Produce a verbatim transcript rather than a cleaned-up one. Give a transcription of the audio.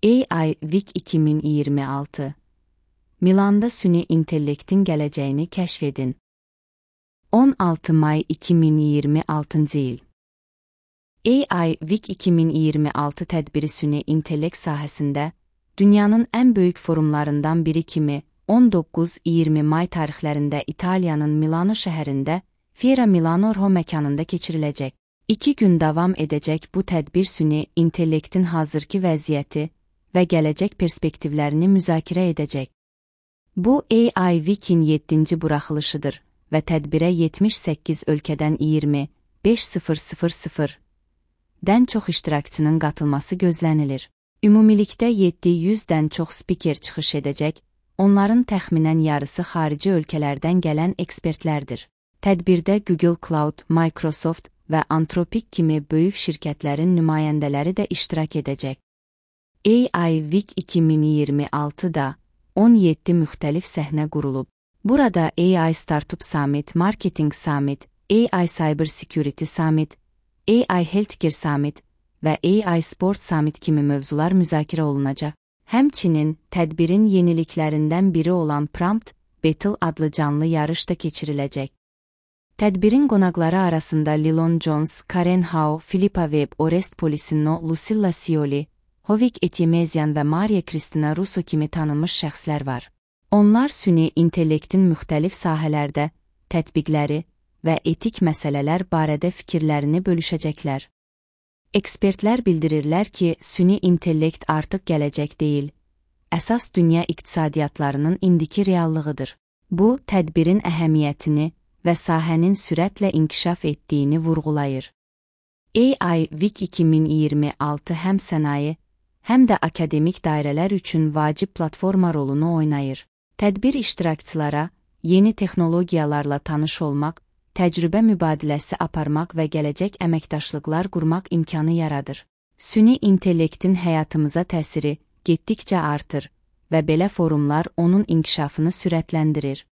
A I Week iki min iyirmi altı Milanda süni intellektin gələcəyini kəşf edin. on altı may iki min iyirmi altıncı il A I Week iki min iyirmi altı tədbiri süni intellekt sahəsində dünyanın ən böyük forumlarından biri kimi on doqquz iyirmi may tarixlərində İtaliyanın Milano şəhərində Fiera Milano Orho məkanında keçiriləcək. İki gün davam edəcək bu tədbir süni intellektin hazırki vəziyyəti və gələcək perspektivlərini müzakirə edəcək. Bu A I Week-in yeddinci buraxılışıdır və tədbirə yetmiş səkkiz ölkədən iyirmi beş min dən çox iştirakçının qatılması gözlənilir. Ümumilikdə yeddi yüzdən çox spiker çıxış edəcək, onların təxminən yarısı xarici ölkələrdən gələn ekspertlərdir. Tədbirdə Google Cloud, Microsoft və Anthropic kimi böyük şirkətlərin nümayəndələri də iştirak edəcək. A I Week iki min iyirmi altıda on yeddi müxtəlif səhnə qurulub. Burada A I Startup Summit, Marketing Summit, A I Cyber Security Summit, A I Healthcare Summit və A I Sport Summit kimi mövzular müzakirə olunacaq. Həmçinin, tədbirin yeniliklərindən biri olan Prompt Battle adlı canlı yarış da keçiriləcək. Tədbirin qonaqları arasında Lilon Jones, Karen Hao, Philippa Webb, Orest Polissino, Lucilla Scioli, Hovik Etyemezyan və Maria Cristina Russo kimi tanınmış şəxslər var. Onlar süni intellektin müxtəlif sahələrdə tətbiqləri və etik məsələlər barədə fikirlərini bölüşəcəklər. Ekspertlər bildirirlər ki, süni intellekt artıq gələcək deyil, əsas dünya iqtisadiyyatlarının indiki reallığıdır. Bu, tədbirin əhəmiyyətini və sahənin sürətlə inkişaf etdiyini vurğulayır. A I Week iki min iyirmi altı həm sənaye, həm də akademik dairələr üçün vacib platforma rolunu oynayır. Tədbir iştirakçılara yeni texnologiyalarla tanış olmaq, təcrübə mübadiləsi aparmaq və gələcək əməkdaşlıqlar qurmaq imkanı yaradır. Süni intellektin həyatımıza təsiri getdikcə artır və belə forumlar onun inkişafını sürətləndirir.